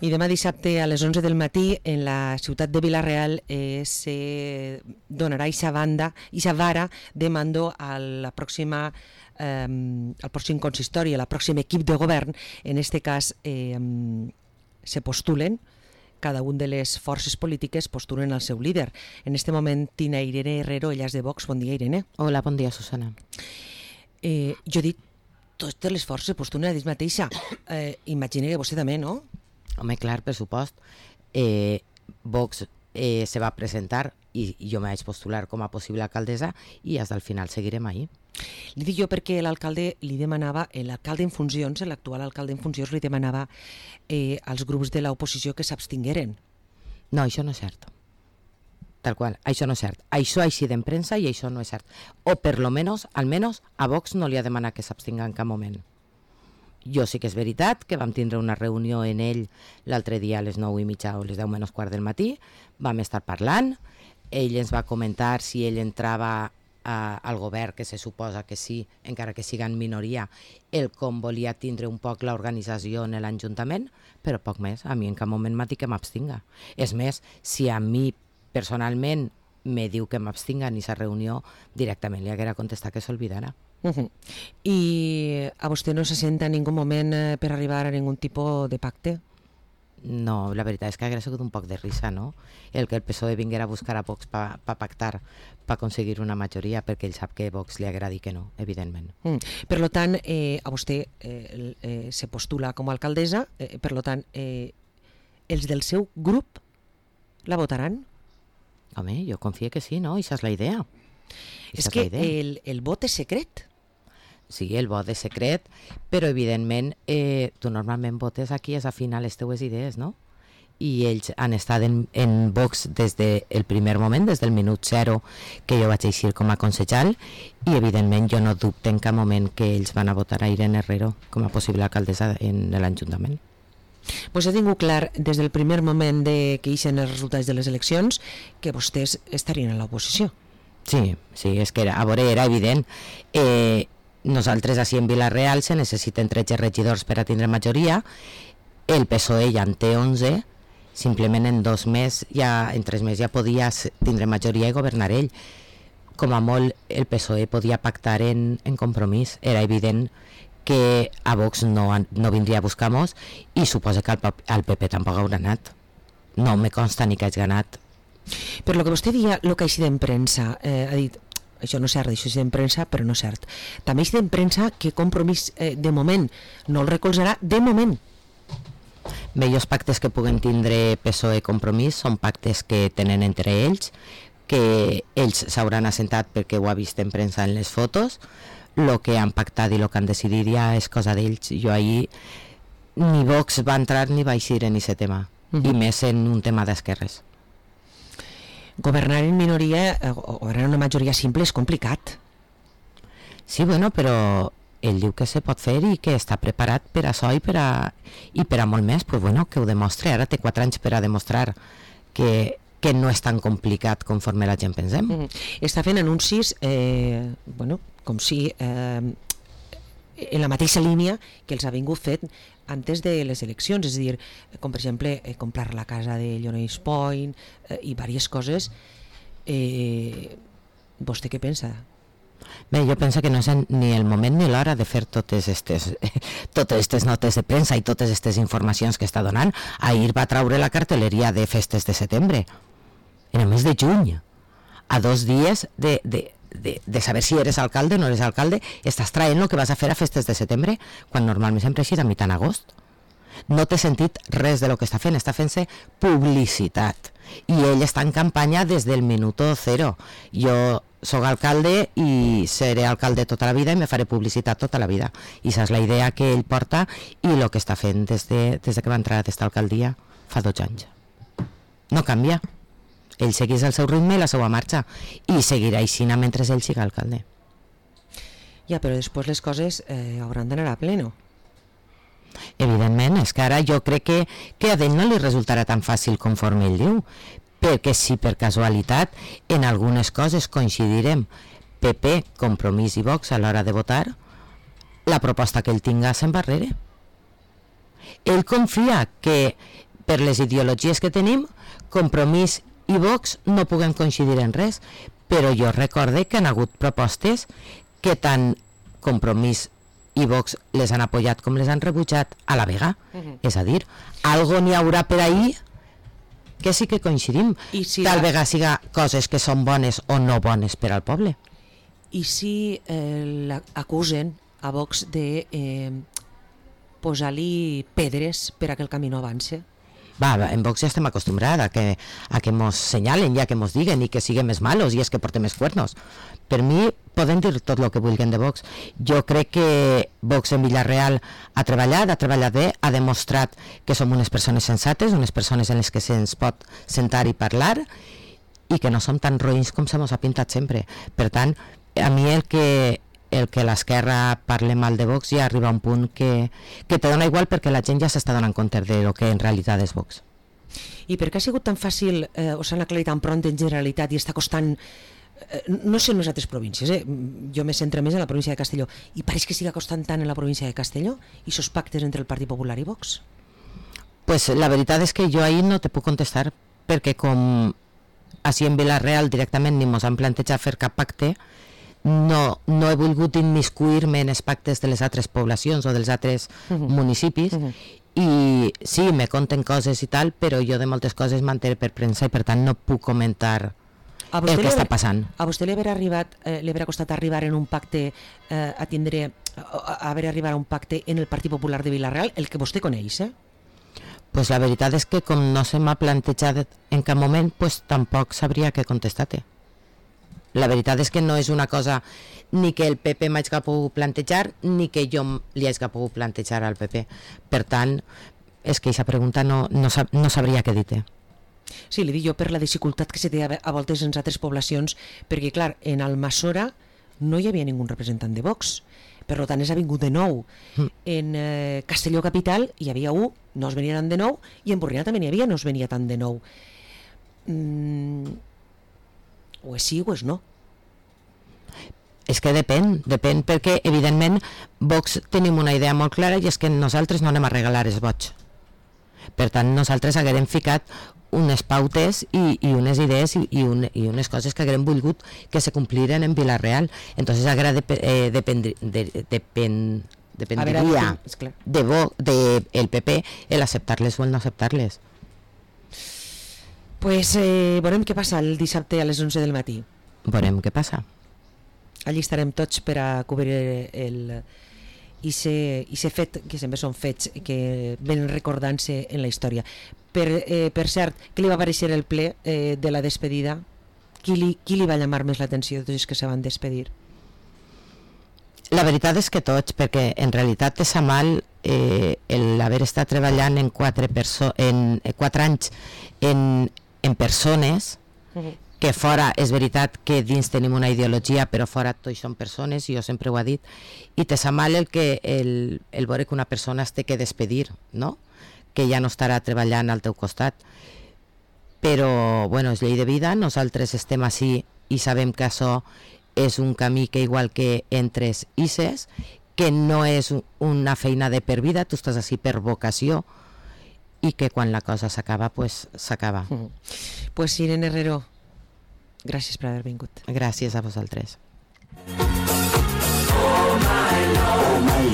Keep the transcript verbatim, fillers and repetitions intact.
I demà dissabte a les onze del matí en la ciutat de Vila-real eh, se donarà aquesta banda, aquesta vara de mando a la pròxima, eh, al pròxim consistori, al pròxim equip de govern. En aquest cas eh, se postulen, cada un de les forces polítiques postulen el seu líder. En aquest moment tinc a Irene Herrero, ella és de Vox. Bon dia, Irene. Hola, bon dia, Susana. Eh, jo he dit, totes les forces postulen a dir mateixa. Eh, imagina que vostè també, no? Home, clar, per supost. Eh, Vox eh, se va presentar i jo me vaig postular com a possible alcaldessa i fins al final seguirem ahí. Li dic jo perquè l'alcalde li demanava, l'alcalde en funcions, l'actual alcalde en funcions, li demanava eh, als grups de l'oposició que s'abstingueren. No, això no és cert. Tal qual, això no és cert. Això ha eixit en premsa i això no és cert. O per lo menos, almenys, a Vox no li ha demanat que s'abstinga en cap moment. Jo sí que és veritat que vam tindre una reunió en ell l'altre dia a les nou i mitja o les deu menys quart del matí, vam estar parlant, ell ens va comentar si ell entrava a, al govern, que se suposa que sí, encara que siga en minoria, el com volia tindre un poc l'organització en l'Ajuntament, però poc més, a mi en cap moment m'ha dit que m'abstinga. És més, si a mi personalment me diu que m'abstinga en aquesta reunió, directament li haguera contestat que s'olvidara. Uh-huh. I a vostè no se sent en ningú moment eh, per arribar a ningun tipus de pacte? No, la veritat és que hauria sigut un poc de risa, no? El que el P S O E vinguera a buscar a Vox per pa pactar, per aconseguir una majoria, perquè ell sap que Vox li agradi que no, evidentment. Mm. Per lo tant, eh, a vostè eh, eh, se postula com a alcaldessa, eh, per lo tant, eh, els del seu grup la votaran? Home, jo confio que sí, no? Això és la idea. És que el, el vot és secret. Sí, el vot és secret, però evidentment eh, tu normalment votes aquí és afinar les teues idees, no? I ells han estat en, en Vox des del primer moment, des del minut zero que jo vaig eixir com a consellal, i evidentment jo no dubte en cap moment que ells van a votar a Irene Herrero com a possible alcaldessa en l'Ajuntament. Pues he tingut clar des del primer moment de que ixen els resultats de les eleccions que vostès estarien a l'oposició. Sí, sí, és que era, a veure, era evident. Eh, nosaltres així en Vila-real se necessiten tretze regidors per a tindre majoria, el P S O E ja en té onze, simplement en dos més, ja, en tres més ja podia tindre majoria i governar ell. Com a molt el P S O E podia pactar en, en Compromís, era evident que a Vox no, no vindria a buscar-nos i suposa que al, al P P tampoc haurà anat. No me consta ni que hagi ganat. Per lo que vostè dia, el que ha eixit en premsa, eh, ha dit, això no és cert, això és en premsa, però no és cert. També ha eixit en premsa que Compromís eh, de moment no el recolzarà, de moment. Bé, els pactes que puguen tindre P S O E Compromís són pactes que tenen entre ells, que ells s'hauran assentat perquè ho ha vist en premsa en les fotos. El que han pactat i el que han decidit ja és cosa d'ells. Jo ahir ni Vox va entrar ni va eixir en aquest tema, uh-huh. I més en un tema d'esquerres. Governar en minoria o governar en una majoria simple és complicat. Sí, bueno, però ell diu que se pot fer i que està preparat per a això i per a, i per a molt més, pues bueno, que ho demostri. Ara té quatre anys per a demostrar que, que no és tan complicat conforme la gent pensem. Mm-hmm. Està fent anuncis, eh, bueno, com si eh, en la mateixa línia que els ha vingut fet antes de les eleccions, és a dir, com per exemple eh, comprar la casa de Llorenç Point eh, i diverses coses. Eh, vostè què pensa? Bé, jo penso que no és ni el moment ni l'hora de fer totes aquestes totes aquestes notes de premsa i totes aquestes informacions que està donant. Ahir va traure la cartelleria de festes de setembre, en el mes de juny, a dos dies de, de, de, de saber si eres alcalde o no eres alcalde, estàs traient el que vas a fer a festes de setembre, quan normalment sempre eixit a mitjan agost. No té sentit res de lo que està fent, està fent-se publicitat, i ell està en campanya des del minuto zero. Jo soc alcalde i seré alcalde tota la vida i me faré publicitat tota la vida, i això és la idea que ell porta i el que està fent des de, des de que va entrar a aquesta alcaldia fa dos anys. No canvia, ell segueix el seu ritme i la seva marxa i seguirà així mentre ell siga alcalde. Ja, però després les coses eh, hauran d'anar a pleno. Evidentment, és que ara jo crec que, que a ell no li resultarà tan fàcil conforme ell diu, perquè si per casualitat en algunes coses coincidirem P P, Compromís i Vox a l'hora de votar, la proposta que ell tinga se'n va darrere. Ell confia que per les ideologies que tenim, Compromís i Vox no puguem coincidir en res, però jo recorde que han hagut propostes que tant Compromís i Vox les han apoyat com les han rebutjat a la vega. Uh-huh. És a dir, algo n'hi haurà per ahí que sí que coincidim. I si tal la... vegada siga coses que són bones o no bones per al poble. I si eh, acusen a Vox de eh, posar-li pedres per a que el camí no avance? Va, en Vox ja estem acostumbrats a que, a que mos senyalen i a que mos diguen i que siguem més malos i és que portem més cuernos. Per mi poden dir tot el que vulguin de Vox. Jo crec que Vox en Villarreal ha treballat, ha treballat bé, ha demostrat que som unes persones sensates, unes persones en les que se'ns pot sentar i parlar i que no som tan roïns com se mos ha pintat sempre. Per tant, a mi el que el que l'esquerra parle mal de Vox ja arriba a un punt que, que te dona igual perquè la gent ja s'està donant compte de lo que en realitat és Vox. I per què ha sigut tan fàcil, eh, o s'han aclarit tan pront en generalitat i està costant, eh, no sé en les altres províncies, eh? Jo me centro més en la província de Castelló, i pareix que siga costant tant en la província de Castelló i sos pactes entre el Partit Popular i Vox? Pues la veritat és que jo ahir no te puc contestar perquè com així en Villarreal directament ni mos han plantejat fer cap pacte, no, no he volgut immiscuir-me en els pactes de les altres poblacions o dels altres uh-huh. municipis uh-huh. i sí, me conten coses i tal, però jo de moltes coses m'entere per premsa i per tant no puc comentar el que està passant. A vostè li haver arribat, eh, li haver costat arribar en un pacte eh, a tindre, a haver arribat a un pacte en el Partit Popular de Villarreal, el que vostè coneix, eh? Pues la veritat és que com no se m'ha plantejat en cap moment, pues tampoc sabria què contestar-te. La veritat és que no és una cosa ni que el P P m'hagi pogut plantejar ni que jo li hagi pogut plantejar al P P. Per tant, és que aquesta pregunta no, no, sab, no sabria què dir-te. Sí, li dic jo per la dificultat que se té a voltes en altres poblacions, perquè clar, en Almassora no hi havia ningú representant de Vox, per tant és ha vingut de nou. Mm. En eh, Castelló Capital hi havia un, no es venia tant de nou, i en Borriana també n'hi havia, no es venia tant de nou. Mm... o és sí o és no. És que depèn, depèn perquè evidentment Vox tenim una idea molt clara i és que nosaltres no anem a regalar els vots. Per tant, nosaltres haguem ficat unes pautes i, i unes idees i, i, un, i unes coses que haguem volgut que se compliren en Villarreal. Entonces haguera de, eh, dependri, de, depèn, dependria veure, de, Vo, de el P P el acceptar-les o el no acceptar-les. Pues eh, veurem què passa el dissabte a les onze del matí. Veurem què passa. Allí estarem tots per a cobrir el i ser fet, que sempre són fets que venen recordant-se en la història. Per, eh, per cert, què li va aparèixer el ple eh, de la despedida? Qui li, qui li va llamar més l'atenció de tots els que se van despedir? La veritat és que tots, perquè en realitat te sa mal eh, l'haver estat treballant en quatre, perso en, eh, quatre anys en en persones, uh-huh. que fora és veritat que dins tenim una ideologia, però fora tots són persones, jo sempre ho he dit, i te sa mal el, que, el, el veure que una persona es té que despedir, no? Que ja no estarà treballant al teu costat. Però, bueno, és llei de vida, nosaltres estem així i sabem que això és un camí que igual que entres i ses, que no és una feina de per vida, tu estàs així per vocació, i que quan la cosa s'acaba, pues s'acaba. Mm. Pues Irene Herrero, gràcies per haver vingut. Gràcies a vosaltres. Oh my, oh my.